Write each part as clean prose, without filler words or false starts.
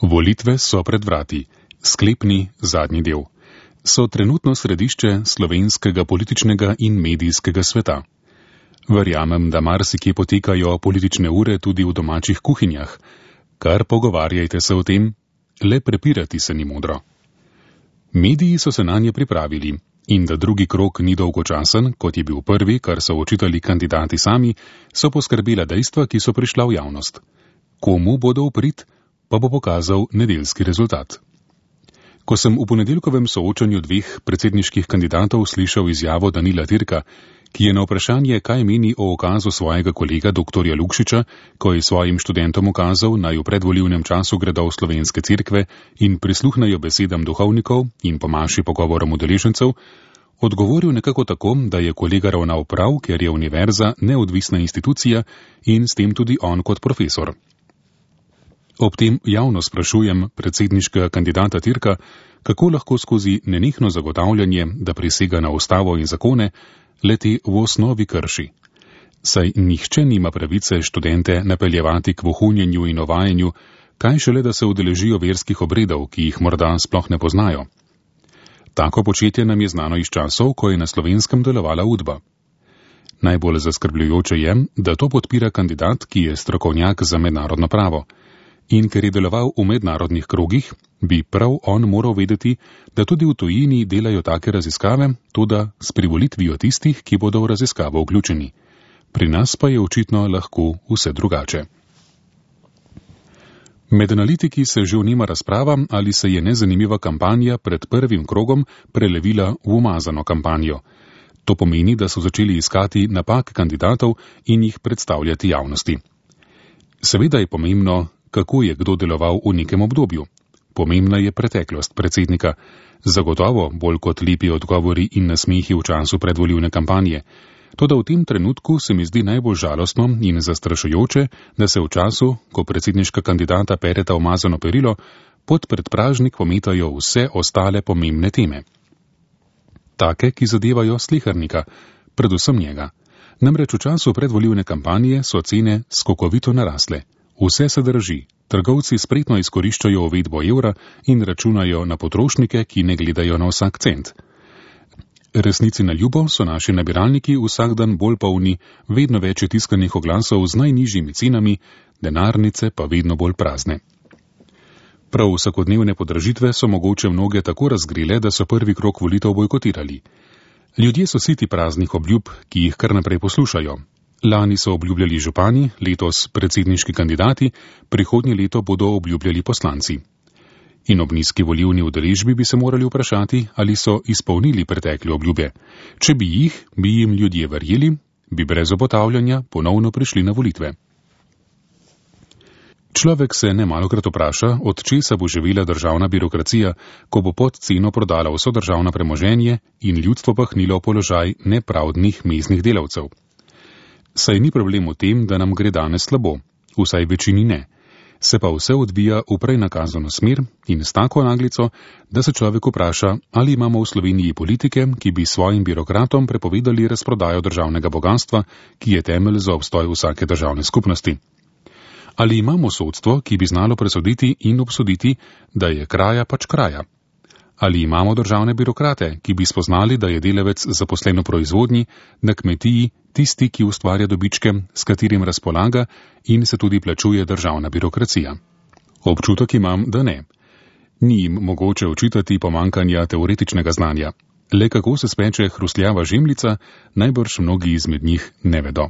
Volitve so pred vrati. Sklepni zadnji del. So trenutno središče slovenskega političnega in medijskega sveta. Verjamem, da marsikje potekajo politične ure tudi v domačih kuhinjah. Kar pogovarjajte se o tem, le prepirati se ni modro. Mediji so se nanje pripravili in da drugi krog ni dolgočasen, kot je bil prvi, kar so očitali kandidati sami, so poskrbela dejstva, ki so prišla v javnost. Komu bodo v prid, pa bo pokazal nedeljski rezultat. Ko sem v ponedeljkovem soočanju dveh predsedniških kandidatov slišal izjavo Danila Türka, ki je na vprašanje, kaj meni o ukazu svojega kolega dr. Lukšiča, ko je svojim študentom ukazal, naj v predvolilnem času gredo v slovenske cerkve in prisluhnajo besedam duhovnikov in pomaši pogovorom udeležencev, odgovoril nekako tako, da je kolega ravnal prav, ker je univerza neodvisna institucija in s tem tudi on kot profesor. Ob tem javno sprašujem predsedniškega kandidata Türka, kako lahko skozi nenehno zagotavljanje, da prisega na ustavo in zakone, leti v osnovi krši. Saj nihče nima pravice študente napeljevati k vohunjenju in ovajanju, kaj šele, da se udeležijo verskih obredov, ki jih morda sploh ne poznajo. Tako početje nam je znano iz časov, ko je na Slovenskem delovala Udba. Najbolj zaskrbljujoče je, da to podpira kandidat, ki je strokovnjak za mednarodno pravo. In ker je deloval v mednarodnih krogih, bi prav on moral vedeti, da tudi v tujini delajo take raziskave, toda s privolitvijo tistih, ki bodo v raziskavo vključeni. Pri nas pa je očitno lahko vse drugače. Med analitiki se že vnema razprava, ali se je nezanimiva kampanja pred prvim krogom prelevila v umazano kampanjo. To pomeni, da so začeli iskati napak kandidatov in jih predstavljati javnosti. Seveda je pomembno, kako je kdo deloval v nekem obdobju. Pomembna je preteklost predsednika, zagotovo bolj kot lepi odgovori in nasmehi v času predvolilne kampanje. Toda v tem trenutku se mi zdi najbolj žalostno in zastrašujoče, da se v času, ko predsedniška kandidata pereta umazano perilo, pod predpražnik pometajo vse ostale pomembne teme. Take, ki zadevajo slehernika, predvsem njega. Namreč v času predvolilne kampanje so cene skokovito narasle. Vse se drži, trgovci spretno izkoriščajo uvedbo evra in računajo na potrošnike, ki ne gledajo na vsak cent. Resnici na ljubo so naši nabiralniki vsak dan bolj polni, vedno več je tiskanih oglasov z najnižjimi cenami, denarnice pa vedno bolj prazne. Prav vsakodnevne podražitve so mogoče mnoge tako razgrele, da so prvi krog volitev bojkotirali. Ljudje so siti praznih obljub, ki jih kar naprej poslušajo. Lani so obljubljali župani, letos predsedniški kandidati, prihodnje leto bodo obljubljali poslanci. In ob nizki volilni udeležbi bi se morali vprašati, ali so izpolnili pretekle obljube. Če bi jih, bi jim ljudje verjeli, bi brez obotavljanja ponovno prišli na volitve. Človek se nemalokrat vpraša, od česa bo živela državna birokracija, ko bo pod ceno prodala vso državno premoženje in ljudstvo pahnilo v položaj nepravdnih mestnih delavcev. Saj ni problem v tem, da nam gre danes slabo, vsaj večini ne. Se pa vse odvija v prej nakazano smer in s tako naglico, da se človek vpraša, ali imamo v Sloveniji politike, ki bi svojim birokratom prepovedali razprodajo državnega bogatstva, ki je temelj za obstoj vsake državne skupnosti. Ali imamo sodstvo, ki bi znalo presoditi in obsoditi, da je kraja pač kraja. Ali imamo državne birokrate, ki bi spoznali, da je delavec zaposlen v proizvodnji, na kmetiji tisti, ki ustvarja dobičke, s katerim razpolaga in se tudi plačuje državna birokracija. Občutek imam, da ne. Ni jim mogoče očitati pomankanja teoretičnega znanja. Le kako se speče hrustljava žemljica, najbrž mnogi izmed njih ne vedo.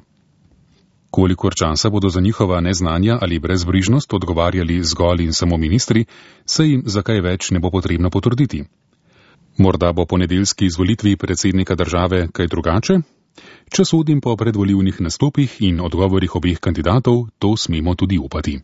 Kolikor časa bodo za njihova neznanja ali brezbrižnost odgovarjali zgolj in samo ministri, se jim za kaj več ne bo potrebno potrditi. Morda bo po nedeljski izvolitvi predsednika države kaj drugače? Če sodim po predvolilnih nastopih in odgovorih obeh kandidatov, to smemo tudi upati.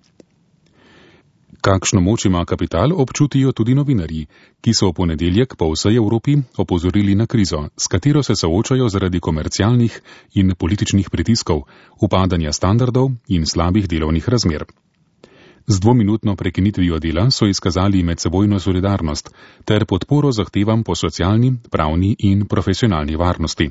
Kakšno moč ima kapital, občutijo tudi novinarji, ki so v ponedeljek po vsej Evropi opozorili na krizo, s katero se soočajo zaradi komercialnih in političnih pritiskov, upadanja standardov in slabih delovnih razmer. Z 2-minutno prekinitvijo dela so izkazali medsebojno solidarnost ter podporo zahtevam po socialni, pravni in profesionalni varnosti.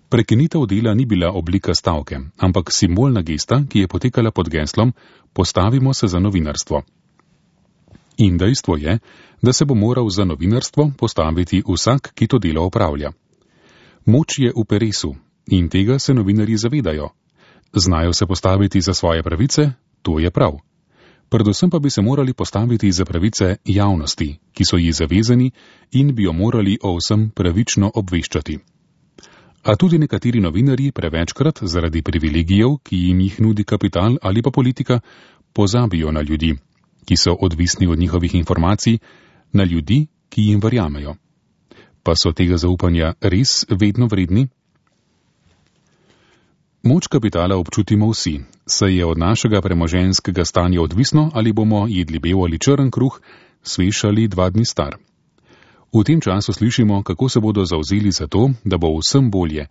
Prekinitev dela ni bila oblika stavke, ampak simbolna gesta, ki je potekala pod geslom Postavimo se za novinarstvo. In dejstvo je, da se bo moral za novinarstvo postaviti vsak, ki to delo opravlja. Moč je v peresu in tega se novinarji zavedajo. Znajo se postaviti za svoje pravice, to je prav. Predvsem pa bi se morali postaviti za pravice javnosti, ki so ji zavezani in bi jo morali o vsem pravično obveščati. A tudi nekateri novinarji prevečkrat zaradi privilegijev, ki jim jih nudi kapital ali pa politika, pozabijo na ljudi, ki so odvisni od njihovih informacij, na ljudi, ki jim verjamejo. Pa so tega zaupanja res vedno vredni? Moč kapitala občutimo vsi, saj je od našega premoženjskega stanja odvisno, ali bomo jedli bel ali črn kruh, svež ali 2 dni star. V tem času slišimo, kako se bodo zavzeli za to, da bo vsem bolje,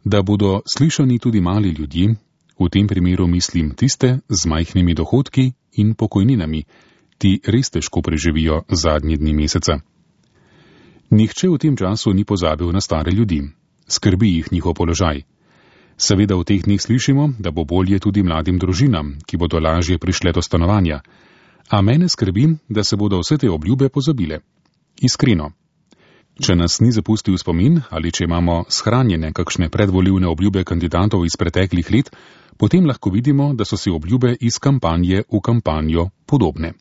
da bodo slišani tudi mali ljudje, v tem primeru mislim tiste z majhnimi dohodki in pokojninami, ti res težko preživijo zadnji dni meseca. Nihče v tem času ni pozabil na stare ljudi, skrbi jih njihov položaj. Seveda v teh dneh slišimo, da bo bolje tudi mladim družinam, ki bodo lažje prišle do stanovanja, a mene skrbi, da se bodo vse te obljube pozabile. Iskreno. Če nas ni zapustil spomin ali če imamo shranjene kakšne predvolilne obljube kandidatov iz preteklih let, potem lahko vidimo, da so si obljube iz kampanje v kampanjo podobne.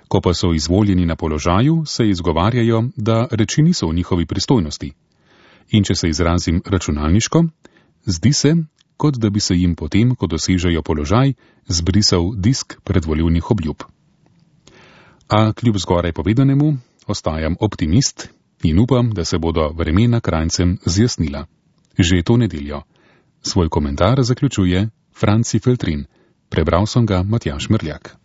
Ko pa so izvoljeni na položaju, se izgovarjajo, da reči niso v njihovi pristojnosti. In če se izrazim računalniško, zdi se, kot da bi se jim potem, ko dosežejo položaj, zbrisal disk predvolilnih obljub. A kljub zgoraj povedanemu, ostajam optimist in upam, da se bodo vremena Kranjcem zjasnila. Že to nedeljo. Svoj komentar zaključuje Franci Feltrin. Prebral sem ga Matjaž Merljak.